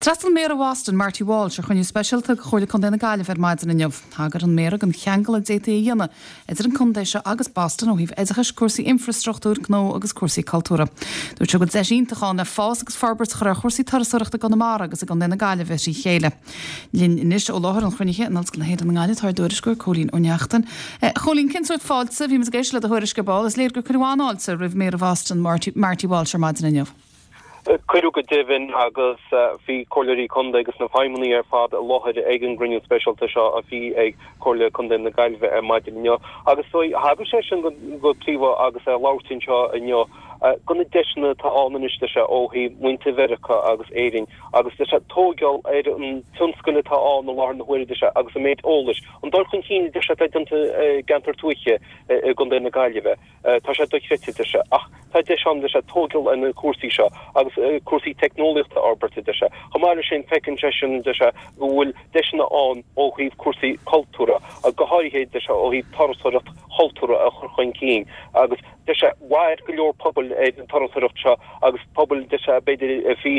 D'fhreastail Méara Bhoston, Marty Walsh, ar chruinniú speisialta de Chomhairle Contae na Gaillimhe ar maidin inniu. Thagair an Méara don cheangal a d'fhéadfaí a dhéanamh idir an contae seo agus Boston ó thaobh oideachais, cúrsaí infreastruchtúir, gnó agus cúrsaí cultúrtha. Dúirt sé go bhfuil deis iontach ann le fás agus forbairt a chur ar chúrsaí turasóireachta i gConamara agus i gContae na Gaillimhe trí chéile. Linn anois ó láthair an chruinnithe in Ollscoil na hÉireann i nGaillimh tá ár dtuairisceoir Cóilín Ó Neachtain. A Chóilín, cén sórt fáilte a bhí muid ag éisteacht le do thuairisc ar ball? Is léir gur cuireadh an-fháilte roimh Méara Bhoston, Marty Walsh ar maidin inniu. Cuireadh go deimhin agus bhí Comhairleoirí Contae agus na feidhmeannaigh ar fad i láthair ag an gcruinniú speisialta seo a bhí ag Comhairle Contae na Gaillimhe ar maidin inniu. Agus thagair seisean go príomha agus é ag labhairt anseo inniu go na deiseanna atá ann anois deir sé ó thaobh muintir Mheiriceá agus Éirinn agus deir sé tóigeáil ar an tionscal atá ann i láthair na huaire deir sé agus an méid eolais, an dul chun cinn deir sé atá déanta i gceantar tuaithe i gContae na Gaillimhe. Tá sé dochreidte, deir sé, ach tá deis ann, deir sé, tóigeáil ar na cúrsaí seo agus cúrsaí teicneolaíochta a fhorbairt, a deir sé. Chomh maith leis sin, feiceann seisean, deir sé, go bhfuil deiseanna ann ó thaobh cúrsaí cultúrtha, go háirithe, deir sé, ó thaobh turasóireacht chultúrtha a chur chun cinn agus, deir sé, mhair go leor pobail ar an turasóireacht seo agus pobail, deir sé, b'fhéidir, a bhí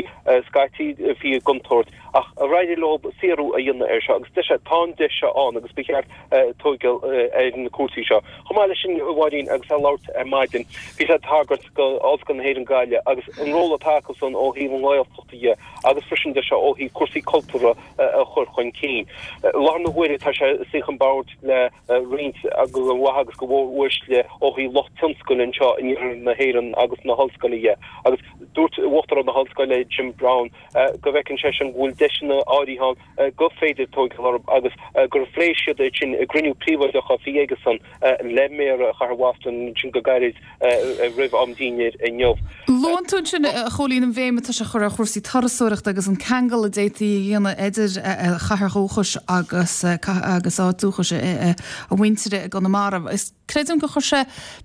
scaití, a bhí i gcontúirt ach ar éirigh leo saothrú a dhéanamh air seo agus, deir sé, tá an deis seo ann agus ba cheart tóigeáil ar na cúrsaí seo. Chomh maith leis sin, a Mháirín, agus é ag labhairt ar maidin, bhí sé ag tagairt go Ollscoil na hÉireann Gaillimh agus an ról atá acusan ó thaobh an Ghaeltacht dhe agus freisin deir sé ó thaobh cúrsaí cultúrtha a chur chun cinn. I láthair na huaire tá sé ag suí chun boird le roinnt go mhaith agus go mhór-uaisle ó thaobh lucht tionscail anseo in iarthar na hÉireann agus na hollscoile dhe agus dúirt Uachtarán na hOllscoile Jim Browne go bhfeiceann seisean go bhfuil deiseanna áirithe ann gur féidir tóigeáil orthu agus gur phléigh siad iad sin i gcruinniú príobháideach a bhí aigesan le Méara Chathair Bhoston ansin go gairid roimh am dinnéir inniu. Luann tú ansin, a Chóilín, an bhéim atá sé a chur ar chúrsaí turasóireachta agus an ceangal a d'fhéadfaí a dhéanamh idir a chathair dhúchais agus agus áit dúchais a mhuintire i gConamara. Is. Creidim gur chuir sé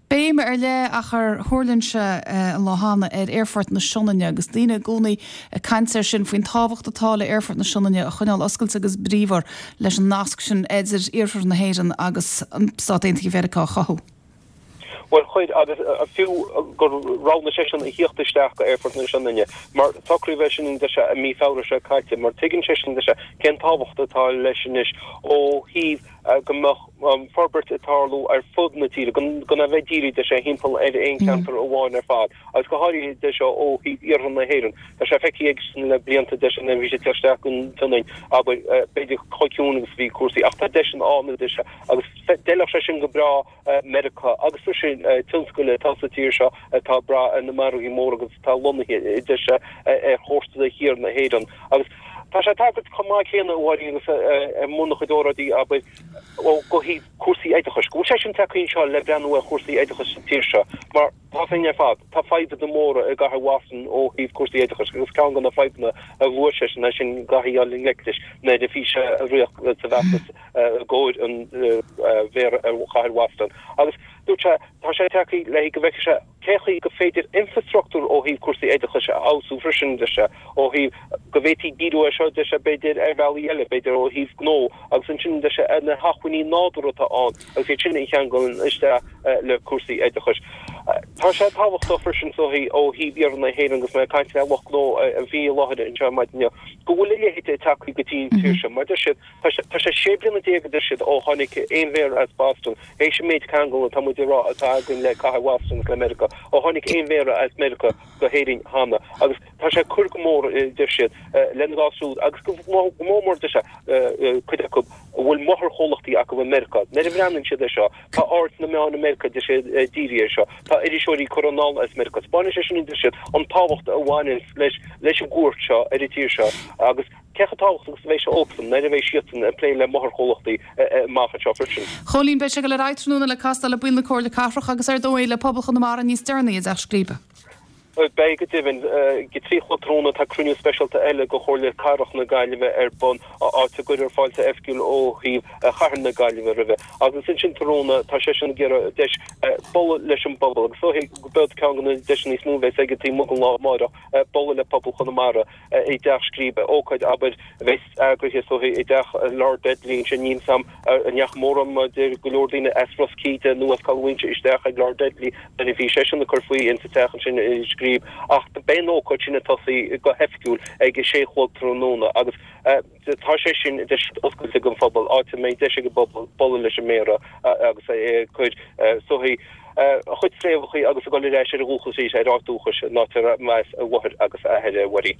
béim ar leith ach ar thuirling sé an lá cheana ar Aerfort na Sionainne agus daoine i gcónaí ag caint air sin faoin tábhacht atá le Aerfort na Sionainne a choinneáil oscailte agus bríomhar leis an nasc sin idir iarthar na hÉireann agus Stát Aontaithe Mheiriceá a chothú. Bhuel, chuir, agus fiú gur roghnaigh seisean a thíocht isteach go Aerfort na Sionainne, mar socraíodh é sin, deir sé, i mí Feabhra seo caite, mar tuigeann seisean, deir sé, cén tábhacht atá leis anois ó thaobh go mbeadh forbairt ag tarlú ar fud na tíre, gan a bheith dírithe, deir sé, thimpeall ar aon cheantar amháin ar fad, agus go háirithe, deir sé, ó thaobh iarthar na hÉireann. Tá sé feicthe aigesan le blianta, deir sé, nuair a bhí sé ag teacht isteach go Sionainn, abair, b'fhéidir chomh ciúin agus a bhí cúrsaí, ach tá deiseanna ann, a deir sé, agus d'fheilfeadh sé sin go breá Meiriceá agus freisin tionscail atá sa tír seo atá ag brath ar na margaí móra agus atá lonnaithe, a deir sé, ar chósta thiar na hÉireann. Agus tá sé ag tagairt chomh maith céanna, a Mháirín, agus i mbun a chuid óráidí, abair, ó thaobh cúrsaí oideachais, go bhfuil seisean tagtha anseo le breathnú ar chúrsaí oideachais sa tír seo, mar tá a fhios againn ar fad, tá fadhbanna móra i gcathair Bhoston ó thaobh cúrsaí oideachais agus ceann de na fadhbanna a luaigh seisean é sin go gcaithfí dul i ngleic leis nuair a bhí sé ag rith sa bhfeachtas i gcomhair an mhéara ar chathair Bhoston. Agus dúirt sé, tá sé tagtha le go bhfeicfidh sé cé chaoi go féidir infreastruchtúr ó thaobh cúrsaí oideachais a fheabhsú freisin, deir sé, ó thaobh go bhféadfaí díriú air seo, deir sé, b'fhéidir ar bhealaí eile, b'fhéidir ó thaobh gnó agus ansin, deir sé, ar na hacmhainní nádúrtha atá ann agus iad sin a cheangal isteach le cúrsaí oideachais. Tá sé tábhachtach freisin is dóichí ó thaobh iarthar na hÉireann agus mé ag caint le lucht gnó a bhí i láthair anseo ar maidin inniu, go bhfuil a leithéid ag teacht go dtí an tír seo mar deir siad, Tá sé, tá sé 16 bliana a deir siad ó tháinig aon mhéara as Boston, théis an méid ceangal atá muid ag rá atá againn le cathair Bhoston agus le Meiriceá, ó tháinig aon mhéara as Meiriceá go hÉirinn cheana. Agus tá sé ag cur go mór, a deir siad, lena gcás siúd agus go mór mór, deir sé, cuid acu a bhfuil máthairchomhlachtaí acu i Meiriceá. Nuair a bhreathnaíonn siad air seo, tá aird na meán i Meiriceá, deir siad, dírithe air seo. Tá iriseoirí curtha anall as Meiriceá. Spáineann sé sin, a deir siad, an tábhacht a bhaineann leis, leis an gcuairt seo ar an tír seo agus, Cé chomh tábhachtach agus a bheidh sé dóibhsean nuair a bheidh siadsan ag plé le máthairchomhlachtaí amach anseo freisin. Chóilín, beidh sé ag dul ar aghaidh tráthnóna le castáil le baill na Comhairle Cathrach agus ar dóigh le pobal Chonamara níos deireanaí i dTeach Scríbe. Beidh go deimhin. Ag a 3 a chlog tráthnóna tá cruinniú speisialta eile de Chomhairle Cathrach na Gaillimhe ar bun, áit a gcuirfear fáilte oifigiúil ó thaobh chathair na Gaillimhe roimhe. Agus ansin tráthnóna tá seisean ag iarraidh deis bualadh leis an bpobal agus is dóichí go b'iod ceann de na deiseanna is mó a bheas aige taobh amuigh den lá amárach bualadh le pobal Chonamara. i dTeach Scríbe, ócáid, abair, a bheas eagraithe is dóiche i dteach Lord Dudley ansin. Níl 's a'm an ndeachaigh mórán, mar deir go leor daoine as Ros Cíde nó as Caladh Mhaínse isteach ag Lord Dudley nuair a bhí seisean ag cur faoi insa teach ansin i Scríbe. Scríb ach beidh an ócáid sin ag tosaí go hoifigiúil ag a sé a chlog tráthnóna agus tá sé sin oscailte don phobal, áit a mbeidh deis ag an bpobal bualadh leis an Méara agus é ag cur soithí a chuid fréamhacha agus ag dul ar ais ar a dhúchas arís, ar áit dúchais, an áit arb as a mháthair agus a athair, a Mháirín.